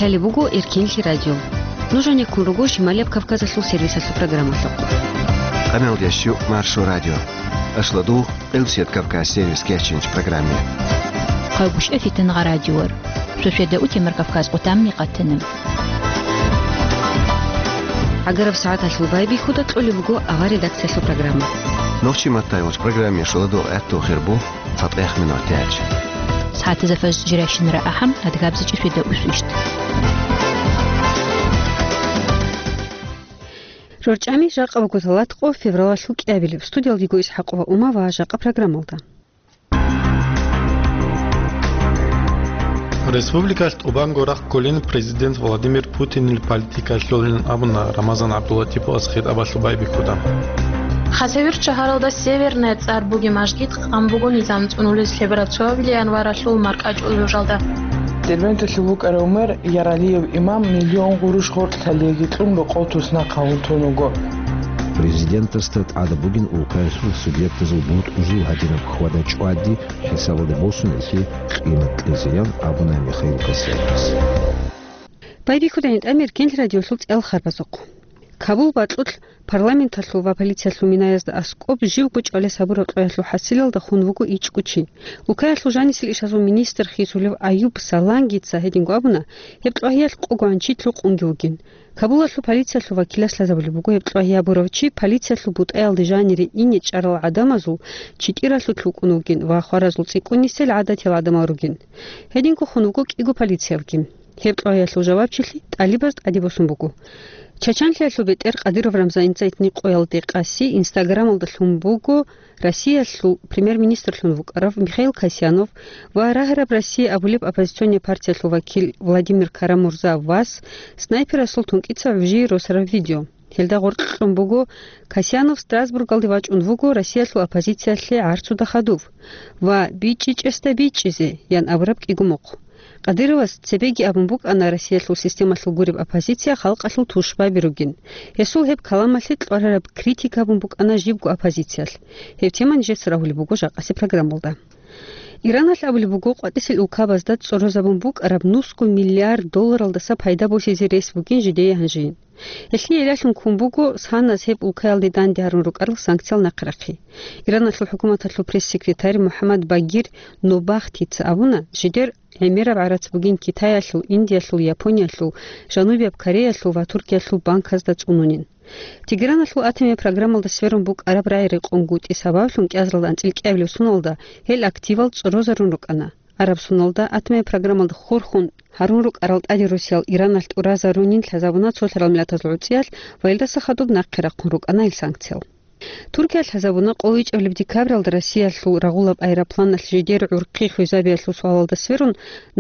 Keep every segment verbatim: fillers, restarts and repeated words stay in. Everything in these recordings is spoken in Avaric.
Лъалеб буго Эркенлъи радио. Нуж гьанеккун руго Шималияб Кавказалъул сервисалъул программалъухъ. Къаналдиящу Маршо радио. Ашладу Элсет Кавказ сервис кечинч программе. Къагушев Фитнагъа радиор. Суседа утемар Кавказ къутамни къатана. Агараб сагӀаталъул байбихьуда кьолеб буго авар редакциялъул программа. Нохчи маттай вач программе шуладу гӀатту хирбу. ЦатӀехмин ватӀач. СагӀатазда фажр жирайщинара ахӀам, адгабзичӀи светда усвищ. РорчӀами жакъа буго талатӀкъо февралалъул кӀиабилеб. Студиялдего Исхьакъова Ума ва жакъа программалда. Республикалъ тӀубанго рахъ кколин президент Владимир Путинил политикалъулин абуна Рамазан ГӀабдуллатиповас хитӀабалъул байбихьуда. Хасавюрт шагьаралда Северная цӀар бугеб мажгит къан буго низам цӀунулес лъебараб цоабилеб январалъул маркӀачӀул жужалда. Дербенталъув вукӀарав мэр Яралиев имам миллион гъурущ гъоркь лъалеги кьун рокъов туснахъ гьавун тун вуго. Президентасда тӀада бугин улкаялъул субъектазул бутӀрузул гьадинаб хьвада чӀвади хӀисабалде босун гьелъие къимат кьезеян абуна Михаил Касьяновас. Байбихьуда гьитӀамир Кенлъ радиолъул цӀел харбазухъ. Кабул бакьулъ парламенталъул ва полициялъул минаязда аскӀоб живго чӀвалес гьабураб кьваялъул хӀасилалда хун вуго ичӀго чи. Улкаялъул жанисел ишазул министр хисулев Аюб Салангица гьединго абуна, гьеб кьвагьиялъ къогогӀан чи лъукъунги вугин. Кабулалъул полициялъул вакилас лъазабулеб буго, гьеб кьвагьи гьабурав чи полициялъул бутӀаялде жанире ине чӀарал гӀадамазул читӀиралъулъ вукӀун вугин ва хваразул цӀикӀкӀунисел гӀадатиял гӀадамал ругин. Гьединго хун вуго кӀиго полициявги. Гьеб кьвагьиялъул жавабчилъи тӀалибаз тӀаде босун буго. Чачанлъиялъул бетӀер Кадыров Рамзаница гьитӀинаб къоялде къаси Инстаграмалда лъун буго Россиялъул премьер-министрлъун вукӀарав Михаил Касьянов ва Рагьараб Россия абулеб оппозиционный партиялъул вакил Владимир Карамурза вас снайперасул тункӀица гӀужие росараб видео. Гьелда гъоркь кьун буго, Касьянов Страсбургалде вачӀун вуго Россиялъул оппозициялъе гӀарцуда хадув ва «БичӀчӀичӀесда бичӀчӀизе» ян абураб кӀиго мухъ. Кадыровас цебеги абун букӀана Россиялъул системалъул гуреб оппозиция халкъалъул тушбаби ругин. Гьесул гьеб каламалъе кьварараб критика гьабун букӀана жибго оппозициялъ. Гьеб тема нижеца рагьулеб буго жакъасеб программалда. Ираналъ абулеб буго къватӀисел улкабазда цӀорозабун букӀараб нусго миллиард долларалдаса пайда босизе рес бугин жидее гьанжеян. Гьелъие иралъун ккун буго санас гьеб улкаялде данде гьарун рукӀарал санкциял нахърахъи. Ираналъул хӀукуматалъул пресс-секретарь МухӀаммад Багир Нобахтица абуна, жидер гӀемераб гӀарац бугин Китаялъул, Индиялъул, Япониялъул, Жанубияб Кореялъул ва Туркиялъул банказда цӀунунин. Тегераналъул атомияб программалда сверун букӀараб рагӀи рекъонгутӀи сабаблъун кӀиазаралда анцӀил кӀиабилеб соналда гьел активал цӀорозарун рукӀана. Араб соналда атомияб программалда хурхун гьарун рукӀарал тӀаде росиял Ираналъ тӀуразарунин лъазабуна цолъарал миллатазул гӀуцӀиялъ ва илдаса хадуб нахъе рахъун рукӀана ил санкциял. Туркиялъ лъазабуна къоло ичӀабилеб декабралда Россиялъул рагъулаб аэропланалъ жидер гӀурхъи хвезабиялъул суалалда сверун,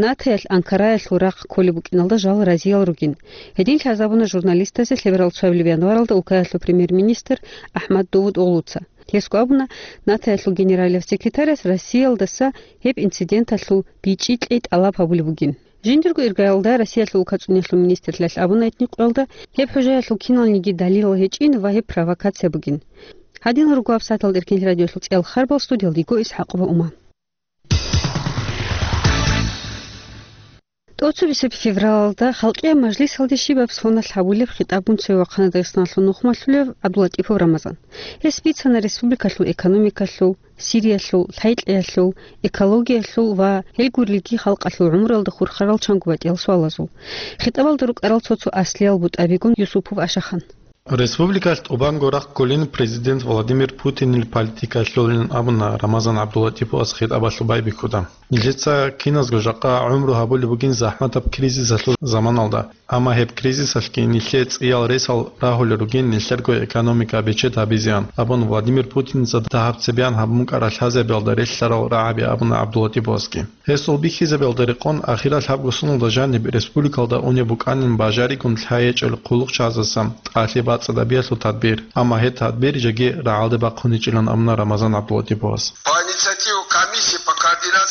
НАТОялъ Анкараялъул рахъ кколеб букӀиналда жал разиял ругин. Гьедин лъазабуна журналистазе лъеберал цоабилеб январалда улкаялъул премьер-министр АхӀмад Давутоглуца. Гьесго абуна, НАТОялъул генералияб секретарас Россиялдаса гьеб инциденталъул бичӀчӀи кьей тӀалаб гьабулеб бугин. Жиндирго иргаялда Россиялъул улкацӀуниялъул министрлъиялъ абуна гьитӀинаб къоялда, гьеб хӀужаялъул киналниги далилал гьечӀин ва гьеб провокация бугин. Гьадинал руго гьабсагӀаталда Эркенлъи радиоялъул цӀел харбал, студиялда йиго ИсхӀакъова Ума. ТӀоцебесеб февралалда Халкъияб мажлисалде щибаб соналъ гьабулеб хитӀабгун цеве вахъана Дагъистаналъул нухмалъулев ГӀабдуллатӀипов Рамазан. Гьес бицана республикалъул экономикалъул, Сириялъул, лъайкьиялъул, экологиялъул ва гьел гурелги халкъалъул гӀумруялда хурхарал чанго батӀиял суалазул. ХитӀабалда рукӀарал цо-цо аслиял бутӀабигун Юсупов Ашахан. Республикалъ тӀубанго рахъ кколин президент Владимир Путинил политикалъулин абуна Рамазан ГӀабдуллатӀиповас хитӀабалъул байбихьуда. Нилъеца киназго жакъа гӀумру гьабулеб бугин захӀматаб кризисалъул заманалда. Амма гьеб кризисалъги нилъее цӀиял ресал рагьулел ругин нилъерго экономика бечед гьабизеян, абун Владимир Путинца дагьаб цебеян гьабун букӀарал лъазабиялда релълъарал рагӀаби абуна ГӀабдуллатӀиповасги. Гьесул бихьизабиялда рекъон, ахирал гьабго соналда жаниб республикалда унеб букӀанин бажаригун лъай гьечӀел хъулухъчагӀаздаса тӀалъи бацӀцӀадабиялъул тадбир, амма гьеб тадбир жеги рагӀалде бахъуничӀилан абуна Рамазан ГӀабдуллатӀиповас. По инициативе комиссии по координации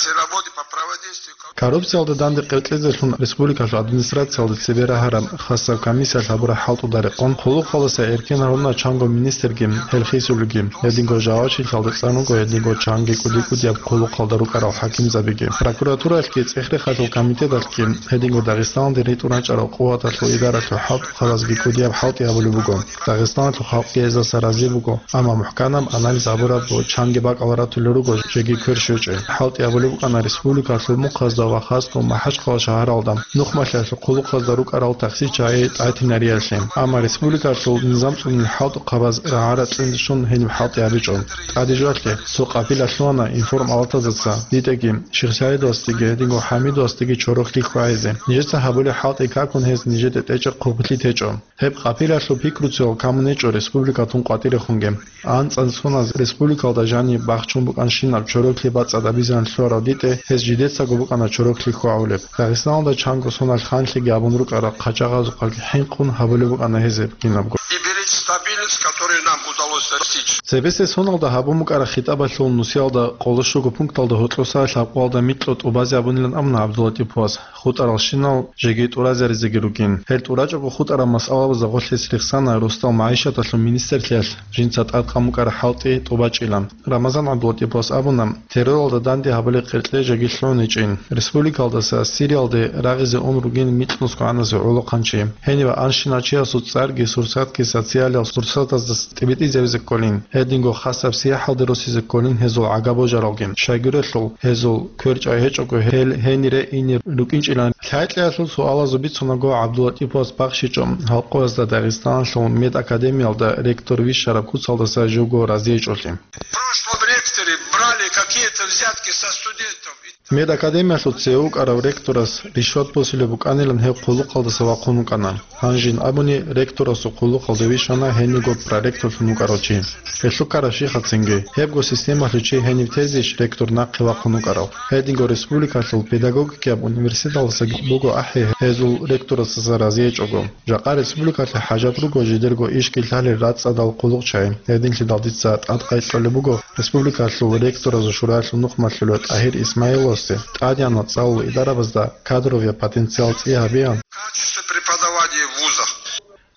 Коррупциялда данде къеркьезелъун республикалъул администрациялда цебе рагьараб хасаб комиссиялъ гьабураб хӀалтӀуда рекъон, хъулухъалдаса эркен гьаруна чанго министрги, гьел хисулги. Гьединго жавабчилъалда цӀан руго гьединго чанги кӀуди-кӀудияб хъулухъалда рукӀарал хӀакимзабиги. Прокуратуралъги цӀех-рехалъул комитеталъги гьединго Дагъистаналде ритӀун рачӀарал къуваталъул идаралъул хӀалтӀухъабазги кӀудияб хӀалтӀи гьабулеб буго. Дагъистаналъул халкъги гьезаса рази буго, амма мухӀканаб анализ гьабураб ва чанги бакӀал ратулел руго жеги квер щвечӀеб. ХӀалтӀи гьабулеб букӀана республикалъул мухъазда ва хасго МахӀачхъала шагьаралда нухмалъиялъул хъулухъазда рукӀарал таксичагӀи тӀатинариялъе. Амма республикалъул низам цӀунил хӀалтӀухъабаз рагӀа-рацӀцӀиндалъун гьениб хӀалтӀи гьабичӀо. ТӀаде жоялъе цо къапила лъугьана информалатазаса дитӀеги, ШихсагӀидовасдеги, гьединго ХӀамидовасдеги чорохлъи хьвагӀизе. Нижеца гьабулеб хӀалтӀи какун гьез нижеде тӀечӀеб хъублъи течӀо. Гьеб къапилалъул пикруцеял камун гьечӀо республикалъун къватӀирехунги. АнцӀан соназ республикалда жаниб бахчун букӀанщинаб чорохлъи бацӀцӀадабизеян лъугьарал дитӀе гьез жидецаго букӀана чорохлъи хьвагӀулеб. Дагъистаналда чанго соналъ ханлъиги абун рукӀарал хъачагъазухъалги хӀинкъун гьабулеб букӀана гьез гьеб кинабго. И беречь стабильность, которую нам удалось достичь. Цебесеб соналда гьабун букӀараб хитӀабалъул нусиялда къоло щуго пункталда гьоркьоса лъабкъоялда микьго тӀубазе абунилан абуна ГӀабдуллатӀиповас. ХутӀаралщинал жеги тӀуразаризеги ругин. Гьел тӀурачӀого хутӀарал масъалабазда гъорлъ гьес рехсана росдал магӀишаталъул министрлъиялъ жинца тӀадкъан букӀараб хӀалтӀи тӀубачӀилан. Рамазан ГӀабдулатӀиповас абуна, терроралда данде гьабулеб къеркье жеги лъугӀун гьечӀин. Республикалдаса Сириялде рагъизе ун ругин микьнусго гӀаназе гӀолохъанчи. Гьенив анщинав чиясул цӀарги сурсатги социалияб сурсатаздаса тӀибитӀизабизе кколин, гьединго хасаб сияхӀалде росизе кколин гьезул гӀага божаралги. Щайгурелъул гьезул кверчӀай гьечӀого гьел гьенире ине рукӀинчӀилан. Лъайкьиялъул суалазул бицунаго ГӀабдулатӀиповас бахщичӀо гьалкъоязда Дагъистаналъул медакадемиялда ректор вищараб куцалдаса живго разиячӀолъи. В прошлом ректоры брали какие-то взятки со студентов. Медакадемиялъул цеве вукӀарав ректорас ришват босулеб букӀанилан гьев хъулухъалдаса вахъун вукӀана. Гьанжин абуни, ректорасул хъулухъалде вищана гьениго проректорлъун вукӀарав чи. Гьелъул ккараб щихъацинги, гьебго системалъул чи гьенив тезейищ ректор нахъе вахъун вукӀарав? Гьединго республикалъул педагогикияб университеталдаса буго ахӀи гьезул ректорасдаса разиячӀого. Жакъа республикалъе хӀажат руго жидерго ишги лъалел рацӀцӀадал хъулухъчагӀи. Гьединлъидал дица тӀадкъай кьолеб буго Республикалъул ректоразул шураялъул нухмалъулев ТӀагьир Исмаиловасде тӀадегӀанав цӀалул идарабазда кадровияб потенциал цӀи гьабеян. Качество преподавания в вузах.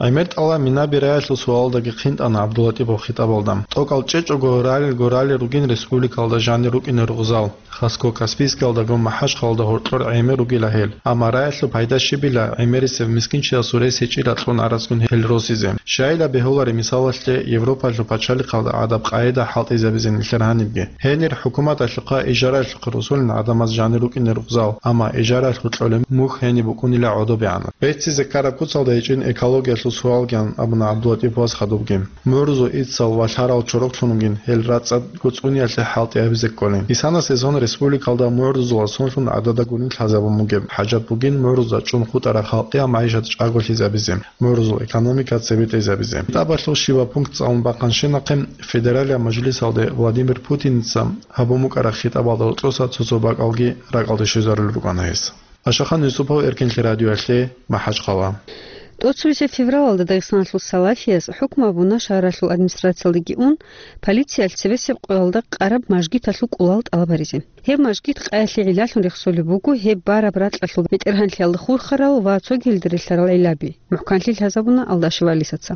ГӀемер тӀалаб минаби раялъул суалдаги хъинтӀана ГӀабдуллатӀипов хитӀабалда. ТӀокӀал чӀечӀого ралелго ралел ругин республикалда жанир рукӀине ругъзал. Хасго Каспийскиялдаго МахӀачхъалда гьоркьор гӀемер ругила гьел, амма раялъул пайда щибила гӀемерисев мискинчиясул рес гьечӀила кьун арацгун гьел росизе. Щайила бегьуларе мисалалъе Европалъул пачалихъалда гӀадаб къагӀида хӀалтӀизабизе нилъер гьанибги. Гьенир хӀукуматалъухъа ижаралъухъе росулин гӀадамаз жанир рукӀине ругъзал, амма ижаралъул кьолеб мухь гьениб букӀунила гӀодобегӀанаб. Беццизе ккараб куцалда гьечӀин экологиялъул суалгиян абуна ГӀабдуллатӀиповас хадубги. Мурзу ицал валъарал чорохлъун вугин, гьел рацӀцӀад гуцӀуниялъе хӀалтӀи гьабизе кколин. Исана сезон республикалда мугӀрузулал сонлъун гӀадада гунин лъазабун бугеб. ХӀажат бугин мугӀрузда чӀун хутӀараб халкъиял магӀишат чӀаголъизабизе, мугӀрузул экономика цебетӀезабизе. ХитӀабалъул щибаб пункт цӀалун бахъанщинахъе, Федералияб Мажлисалде Владимир Путиница гьабун букӀараб хитӀабалда гьоркьоса цо-цо бакӀалги ракӀалде щвезарулел рукӀана гьес. Ашахан Юсупов, Эркенлъи радиоялъе, МахӀачхъала. ТӀоцебесеб февралалда Дагъистаналъул салафияз хӀукму гьабуна шагьаралъул администрациялдеги ун, полициялъ цебесеб къоялда къараб мажгиталъул кӀулал тӀалаб гьаризе. Гьеб мажгит къаялъе гӀиллалъун рехсолеб буго гьеб бараб ракьалъул бетӀергьанлъиялда хурхарал ва цогидалда релълъарал гӀиллаби. МухӀканлъи лъазабуна Алдашева Алисаца.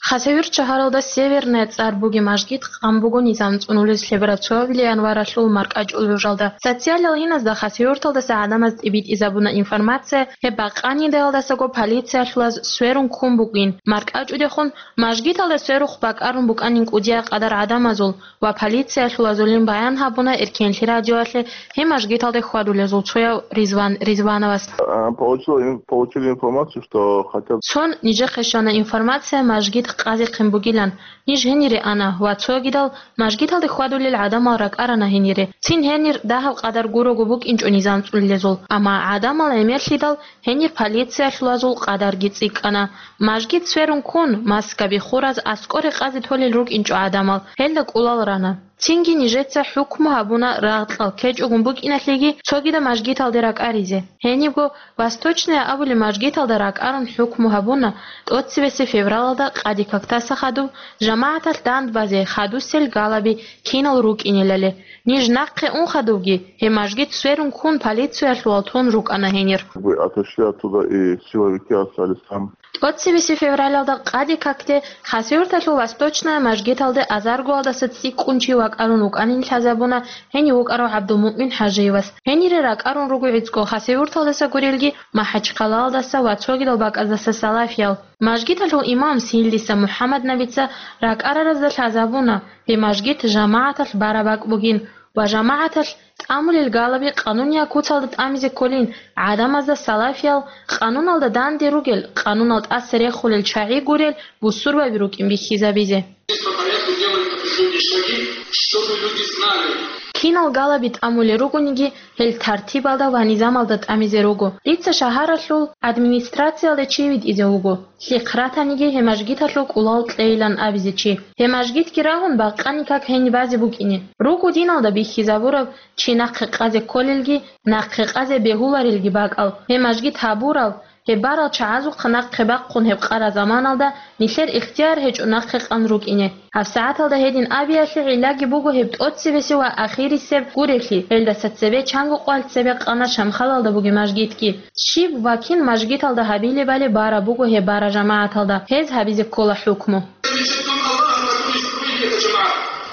Хасавюрт шагьаралда Северная цӀар бугеб мажгит къан буго низам цӀунулез лъебераб цоябилеб январалъул маркӀачӀул гӀужалда. Социалал гьиназда Хасавюрталдаса гӀадамаз тӀибитӀизабуна информация, гьеб бакъанидаялдасаго полициялъулаз сверун ккун бугин. МаркӀачӀудехун мажгиталда сверухъ бакӀарун букӀанин кӀудияй къадар гӀадамазул ва полициялъулазулин баян гьабуна Эркенлъи радиоялъе гьеб мажгиталде хьвадулезул цояв Ризван Ризвановас. А, получил ин-, получили информацию, что хотят. Цон нижехъе щвана информация, мажгит къазехъин бугилан. Ниж гьенире ана ва цогидал мажгиталде хьвадулел гӀадамал ракӀарана гьенире. Цин гьенир дагьаб къадар гурого букӀинчӀо низам цӀулилезул, амма гӀадамал гӀемерлъидал гьенир полициялъулазул къадарги цӀикӀкӀана. Мажгит сверун ккун, маскаби хураз аскӀоре къазе толел рукӀинчӀо гӀадамал, гьелда кӀулал рана. Цинги нижеца хӀукму гьабуна рагъ-кьал ккечӀогун букӀиналъеги цогидаб мажгиталде ракӀаризе. Гьенибго Восточная абулеб мажгиталда ракӀарун хӀукму гьабуна тӀоцебесеб февралалда къаде-кактаса хадуб жамагӀаталъ дандбазе хадусел галаби кинал рукӀинелали. Ниж нахъе ун хадубги, гьеб мажгит сверун ккун полициялъувал тун рукӀана гьенир. Вы отошли оттуда, и силовики остались там. ТӀоцебесеб февралалда къаде-какде Хасавюрталъул Восточная мажгиталде азаргоялдаса цӀикӀкӀун чи вакӀарун вукӀанин лъазабуна гьенив вукӀарав ГӀабдулмуъмин ХӀажиевас. Гьенире ракӀарун руго гӀицӀго Хасавюрталдаса гурелги, МахӀачхъалаялдаса ва цогидал бакӀаздаса салафиял. Мажгиталъул имам Силдиса МухӀаммаднабица ракӀараразда лъазабуна, гьеб мажгит жамагӀаталъ бараб бакӀ бугин ва жамагӀаталъ тӀамулел галаби къануниял куцалда тӀамизе кколин, гӀадамазда салафиял, къануналда данде ругел, къанунал тӀаса рехулел чагӀи гурел бусурбаби рукӀин бихьизабизе. По порядку делали определённые шаги, чтобы люди знали. Кинал галаби тӀамулел ругониги, гьел тартибалда ва низамалда тӀамизе руго. Дица шагьаралъул администрациялда чи витӀизе вуго. Лъихъ ратаниги гьеб мажгиталъул кӀулал кьейилан абизе чи. Гьеб мажгитги рагьун бакъани как гьениб базе букӀине. Руго диналда бихьизабураб чи нахъе къазе кколелги, нахъе къазе бегьуларелги бакӀал. Гьеб мажгит гьабурал, гьеб барал чагӀазухъа нахъе бахъун гьеб къара заманалда нилъер ихтияр гьечӀо нахъе къан рукӀине. ГьабсагӀаталда гьедин абиялъе гӀиллаги буго гьеб тӀоцебесеб ва ахирисеб гурелъи, гьелдаса цебе чанго къвалъ цебе къана Шамхалалда бугеб мажгитги. Щиб ва кин мажгиталда гьабилебали бара буго гьеб бара жамагӀаталда, гьез гьабизе ккола хӀукму.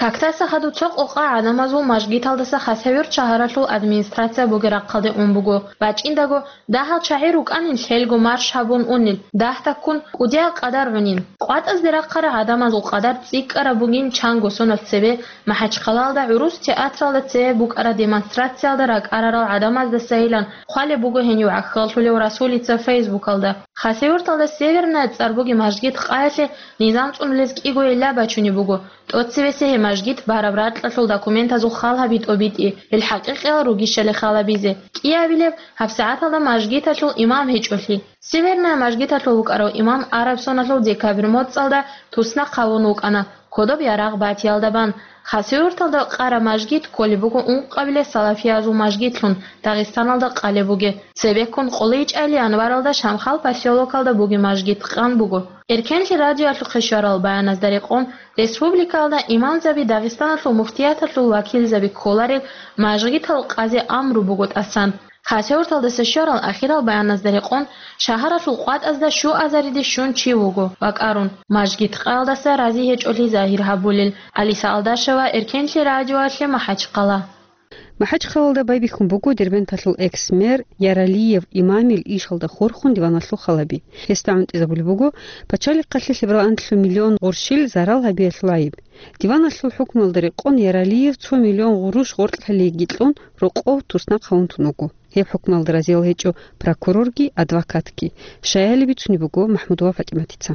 Кактаса хадуб цо къокъа гӀадамазул мажгиталдаса Хасавюрт шагьаралъул администрация бугеб рахъалде ун буго. БачӀиндаго дагьал чагӀи рукӀанин лъелго марш гьабун унел, дагь таккун кӀудиял къадар гӀунин. КъватӀазде рахъарал гӀадамазул къадар цӀикӀкӀараб бугин чанго соналъ цебе МахӀачхъалаялда гӀурус театралда цебе букӀараб демонстрациялда ракӀарарал гӀадамаздасайилан хъвалеб буго гьенив гӀахьаллъулев расулица Фейсбукалда. Хасавюрталда Северная цӀар бугеб мажгит къаялъе низам цӀунулез кӀиго гӀилла бачунеб буго. ТӀоцебесеб гьеб мажгит бараб ракьалъул документазул хал гьаби тӀобитӀи, гьел хӀакъикъиял ругищали хал гьабизе. КӀиабилеб гьабсагӀаталда мажгиталъул имам гьечӀолъи. Северная мажгиталъул вукӀарав имам араб соналъул декабрь моцӀалда туснахъ гьавун вукӀана, кодоб ярагъ батиялда бан. Хасавюрталда къараб мажгит кколеб буго ункъабилеб салафиязул мажгитлъун, Дагъистаналда къалеб бугеб. Цебеккун къоло ичӀайилан январалда Шамхал поселокалда бугеб мажгит къан буго. Эркенлъи радиоялъухъе щварал баяназда рекъон, республикаялда имамзаби Дагъистаналъул муфтияталъул вакилзаби кколарел мажгитал къазе амру буго тӀасан. Хасавюрталдаса щварал ахирал баяназда рекъон, шагьаралъул къватӀазда щуазариде щун чи вуго вакӀарун, мажгит къаялдаса рази гьечӀолъи загьир гьабулел. Алиса Алдашева, Эркенлъи радиоялъе, МахӀачхъала. МахӀачхъалалда байбихьун буго Дербенталъул экс-мэр Яралиев Имамил ишалда хурхун диваналъул халаби. Гьесда гӀунтӀизабулеб буго пачалихъалъе лъебералда анлъго миллион гъурщил зарал гьабиялъул гӀайиб. Диваналъул хӀукмуялда рекъон Яралиев цо миллион гъурущ гъоркьлъалиги кьун рокъов туснахъ гьавун тун вуго. Гьеб хӀукмуялда разиял гьечӀо прокурорги, адвокатги. Щаяли бицунеб буго МахӀмудова ПатӀиматица.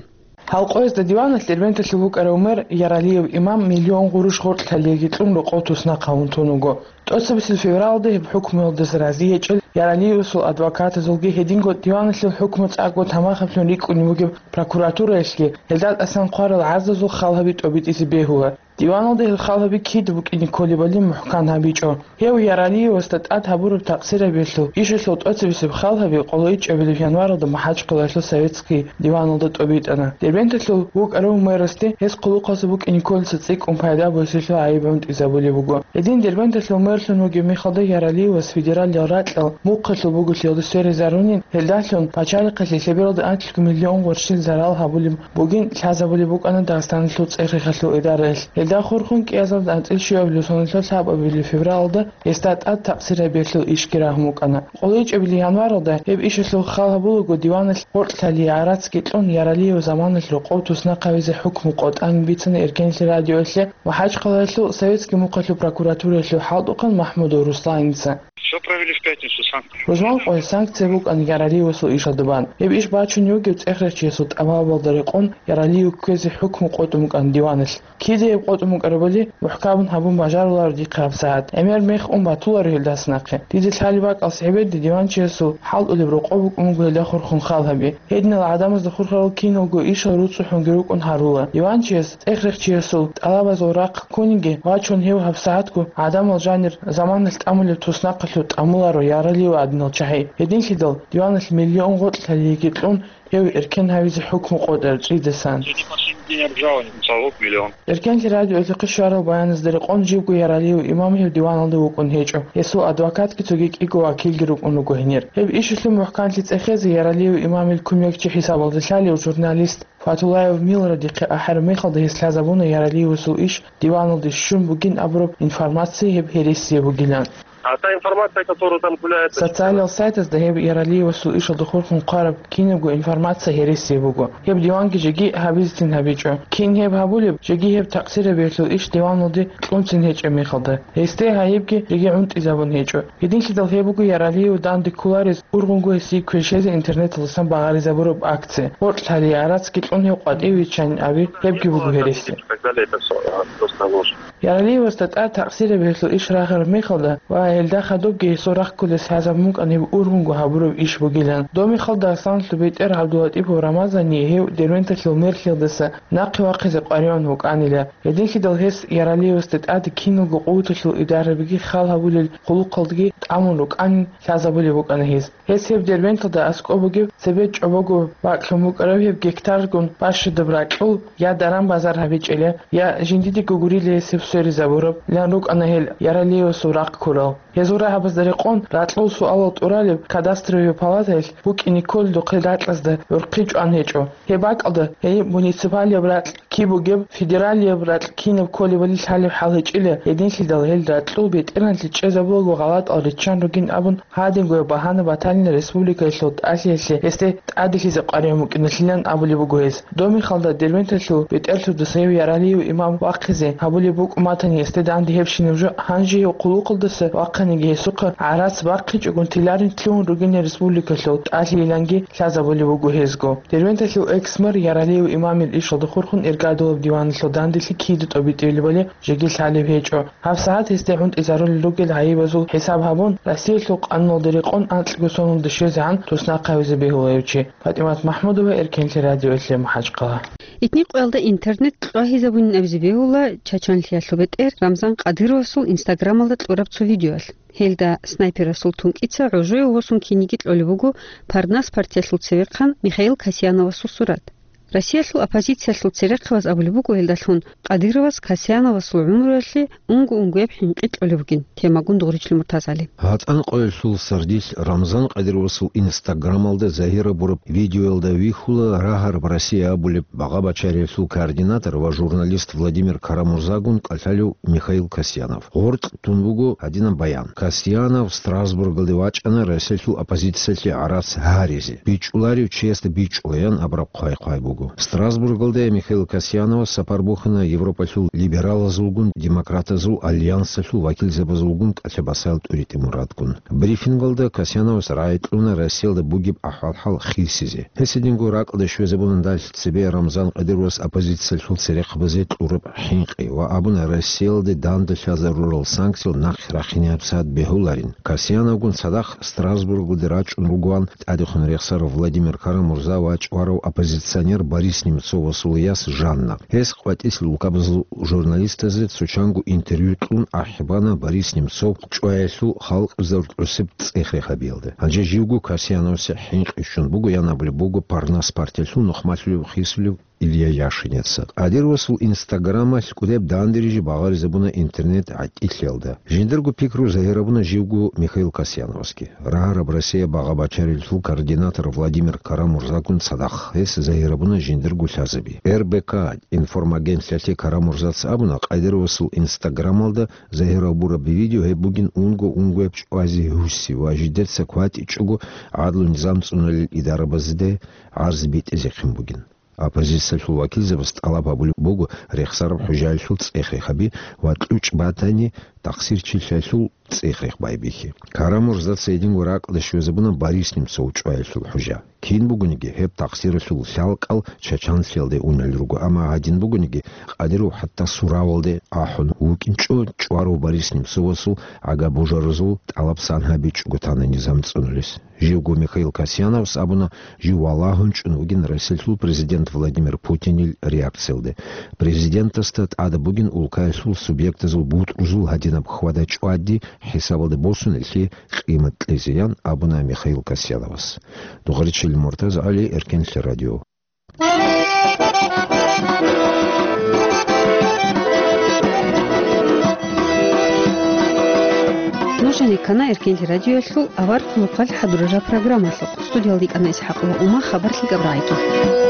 Гьал къоязда диваналъ Дербенталъул вукӀарав мэр Яралиев Имам миллион гъурущ гъоркьлъалиги кьун рокъов туснахъ гьавун тун вуго. ТӀоцебесеб февралалда гьеб хӀукмуялдаса рази гьечӀел Яралиевасул адвокатазулги гьединго диваналъул хӀукму цӀакъго тамахаблъун рикӀкӀунеб бугеб прокуратураялъги гьелда тӀасан хъварал гӀарзазул хал гьаби тӀобитӀизе бегьула. Диваналда гьел хал гьаби кида букӀине кколебали мухӀкан гьабичӀо. Гьев Яралиевасда тӀад гьабураб такъсирабиялъул ишалъул тӀоцебесеб хал гьаби къоло ичӀабилеб январалда МахӀачхъалаялъул советский диваналда тӀобитӀана. Дербенталъул вукӀарав мэрасде гьес хъулухъалъа букӀине кколеса цӀикӀкӀун пайда бугесилъул гӀайиб гӀунтӀизабулеб буго. Гьедин Дербенталъул мэрлъун вугеб мехалда Яралиевас федералиял ракьал мухъалъул буголъиялда сверизарунин, гьелдалъун пачалихъалъе лъебералда анлъго миллион гъурщил зарал гьабулеб бугин лъазабулеб букӀана Дагъистаналъул цӀехехалъул идараялъ. Гьелда хурхун кӀиазарда анцӀил щуабилеб соналъул лъабабилеб февралалда гьесда тӀад такъсирабиялъул ишги рагьун букӀана. Къоло ичӀабилеб январалда гьеб ишалъул хал гьабулаго диваналъ гъоркьлъалие гӀарацги кьун Яралиев заманалъ рокъов туснахъ гьавизе хӀукму къотӀан бицана Эркенлъи радиоялъе МахӀачхъалаялъул советский мухъалъул прокуратураялъул хӀалтӀухъан МахӀмудов Русланица. Всё правильно. И в пятницу санкции. Рузман къоялъ санкция букӀана Яралиевасул ишалда бан. Гьеб иш бачун йогев цӀехрехчиясул тӀалабалда рекъон Яралиев кквезе хӀукму къотӀун букӀана диваналъ. Кида гьеб къотӀун букӀарабали мухӀкамун гьабун бажаруларо дихъе гьабсагӀат. ГӀемер мех ун батуларо гьелдаса нахъе. Дида лъалеб бакӀалъ гьебеде диванчиясул хӀалтӀулеб рокъоб букӀун буго гьелда хурхун хал гьаби. Гьединал гӀадамазда хурхарал киналго ишал руцӀцӀухӀунги рукӀун гьарула. Диванчияс цӀехрехчиясул тӀалабазул рахъ ккуниги вачун гьев гьабсагӀатго гӀадамал жанир заманалъ тӀамулеб туснахъалъув тӀамуларо Яралиев гӀадинал чагӀи. Гьединлъидал диваналъ миллион гъоркь лъалиеги кьун, гьев эркен гьавизе хӀукму къотӀар чӀидасан. День обжалования, залог миллион. Эркенлъи радиоялъухъе щварал баяназда рекъон живго Яралиев имам гьев диваналда вукӀун гьечӀо. Гьесул адвокатги цоги кӀиго вакилги рукӀун руго гьенир. Гьеб ишалъул мухӀканлъи цӀехезе Яралиев имамил кумекчи хӀисабалда лъалев журналист Фатулаев Милра дихъе ахӀараб мехалда гьес лъазабуна Яралиевасул иш диваналде щун бугин абураб информация гьеб гьересие бугилан. А та информация, которая там гуляет... Социалал сайтазда гьеб Яралиевасул ишалда хурхун хъвараб кинабго информация гьересие буго. Гьеб диванги жеги гьабизцин гьабичӀо. Кин гьеб гьабулеб, жеги гьеб такъсирияб гьелъул иш диваналде кьунцин гьечӀеб мехалда. Гьесде гьайибги жеги гӀунтӀизабун гьечӀо. Гьединлъидал гьеб буго Яралиев данде кколарез ургъунго гьесие кверщезе интернеталдасан багъаризабураб акция. Гъоркь лъалие гӀарацги кьун гьев къватӀиве виччанин аби, гьебги буго гьереси. Яралиевасда тӀад такъсирияб гьелъул иш рагъараб мехалда ва гьелда хадубги гьесул рахъ кколес лъазабун букӀана гьеб ургъунго гьабураб иш бугилан. Доб мехалда Асланалъул бетӀер ГӀабдулатӀипов Рамазание гьев Дербенталъул мерлъиялдаса нахъе вахъизе къваригӀун вукӀанила. Гьединлъидал гьес Яралиевасда тӀаде киналго къуваталъул идарабиги хал гьабулел хъулухъалдги тӀамун рукӀанин лъазабулеб букӀана гьес. Гьес гьеб Дербенталда аскӀоб бугеб цебе чӀобого бакӀлъун букӀараб гьеб гектаргун бащадаб ракьул я даран-базар гьабичӀила, я жиндиего гурила гьес гьеб сверизабурабилан рукӀана гьел Яралиевасул рахъ ккурал. Гьезул рагьабазда рекъон ракьул суалал тӀуралеб кадастровый палатаялъ букӀине кколелухъе ракьазда гӀурхъи чӀван гьечӀо. Гьеб бакӀалда гьей муниципалияб ракь киб бугеб, федералияб ракь кинаб кколебали лъалеб хӀал гьечӀила, гьединлъидал гьел ракьул бетӀергьанлъи чӀезабулаго гъалатӀал риччан ругин абун, гьадингояб багьана батанила республикаялъул тӀалъиялъе гьесде тӀаделъизе къваригӀун букӀиналъилан абулеб буго гьес. Доб мехалда Дербенталъул бетӀерлъудаса гьев Яралиев имам вахъизе гьабулеб букӀун батани гьесде данде гьебщинаб жо, гьанже гьев хъулухъалдаса вахъаниги гьесухъа гӀарац бахъичӀогун теларин лъугьун ругин республикалъул тӀалъийиланги лъазабулеб буго гьезго. Дербенталъул экс-мэр Яралиев имамил ишалда хурхун Эргадулаб диваналъул данделъи кида тӀобитӀилебали жеги лъалеб гьечӀо. ГьабсагӀат гьесде гӀунтӀизарулел ругел гӀайибазул хӀисаб гьабун, Россиялъул къануналда рекъон анкьго соналда щвезегӀан туснахъ гьавизе бегьула гьев чи. ПатӀимат МахӀмудова, Эркенлъи радиоялъе, МахӀачхъала. Итни къоялда интернет кьвагьизабунин абизе бегьула Чачанлъиялъул бетӀер Рамзан Кадыровасул Инстаграмалда кьураб цо видеоялъ. Гьелда снайперасул тункӀица гӀожояв восун киниги кьолеб буго Парнас партиялъул цевехъан Михаил Касьяновасул сурат. Россиялъул оппозициялъул церехъабаз абулеб буго гьелдалъун Кадыровас Касьяновасул гӀумруялъе унго-унгояб хӀинкъи кьолеб бугин. Темагун Дугъричлъи Муртазали. ГьатӀан къоялъул сардилъ Рамзан Кадыровасул Инстаграмалда загьир гьабураб видеоялда вихьула рагьараб Россия абулеб багъа-бачариялъул координатор ва журналист Владимир Карамурзагун кӀалъалев Михаил Касьянов. Гъоркь тун буго гьадинаб баян: Касьянов Страсбургалде вачӀана Россиялъул оппозициялъе гӀарац гьаризе. БичӀчӀуларев чиясда бичӀчӀула, ян абураб хъвай-хъвай буго. Страсбургалде Михаил Касьяновас сапар бухьана Европалъул либералазулгун демократазул альянсалъул вакилзабазулгун кӀалъа-басаял тӀуритӀи мурадгун. Брифингалда Касьяновас рагӀи кьуна Россиялда бугеб ахӀвал-хӀал хисизе. Гьесидинго ракӀалде щвезабуна дагьалъ цебе Рамзан Кадыровас оппозициялъул церехъабазе кьураб хӀинкъи ва абуна, Россиялде данде лъазарурал санкциял нахъе рахине гьабсагӀат бегьуларин. Касьяновгун цадахъ Страсбургуде рачӀун ругоан тӀадехун рехсарав Владимир Карамурза ва чӀварав оппозиционер Борис Немцовасул яс Жанна. Гьес къватӀилъ улкабазул журналистазе цо чанго интервью кьун ахӀи бана Борис Немцов чӀваялъул халкъ заруртӀусеб цӀех-рехабиялда. Гьанже живго Касьяновасе хӀинкъи щун буго, ян абулеб буго Парнас партиялъул нухмалъулев хисулев Илья Яшинеца. Кадыровасул Инстаграмалъ кӀудеб дандеризе багъаризабуна интернет гӀатӀилъиялда. Жиндирго пикру загьир гьабуна живго Михаил Касьяновасги. Рагьараб Россия багъа-бачариялъул координатор Владимир Карамурзагун цадахъ гьес загьир гьабуна жиндирго лъазаби. РБК информагентлъиялъе Карамурзаца абуна, Кадыровасул Инстаграмалда загьир гьабураб видео гьеб бугин унго-унгояб чӀвазе гьуси ва жидеца кватӀичӀого гӀадлу-низам цӀуналел идарабазде гӀарз битӀизехъин бугин. Оппозициялъул вакилзабаз тӀалаб гьабулеб буго рехсараб хӀужаялъул цӀех рехаби ва кьучӀ батани, тахсирчилъаялъул цӀех рех байбихьи. Карамурзаца гьединго ракӀалде щвезабуна Борис Немцов чӀваялъул хӀужа. Кин бугониги, гьеб тахсиралъул лъалкӀал Чачанлъиялде унел руго, амма гьадин бугониги, Къадиров хӀатта суравалде ахӀун вукӀинчӀо чӀварав Борис Немцовасул гӀага божаразул тӀалаб сан гьабичӀого тана низам цӀунулес. Живго Михаил Касьяновас абуна, жив валагьун чӀун вугин Россиялъул президент Владимир Путинил реакциялде. Президентасда тӀадаб бугин улкаялъул субъектазул бутӀрузул гьадинаб хьвада-чӀвади хӀисабалде босунеллъи къимат кьезеян абуна Михаил Касьяновас. Дугъаричил Муртаз ГӀали, Эркенлъи радио. Нуж гьанеккана Эркенлъи радиоялъул авар хъулухъалъ хӀадурараб программалъухъ. Студиялда йикӀана ИсхӀакъ ва Ума, хабар лъикӀаб рагӀиги.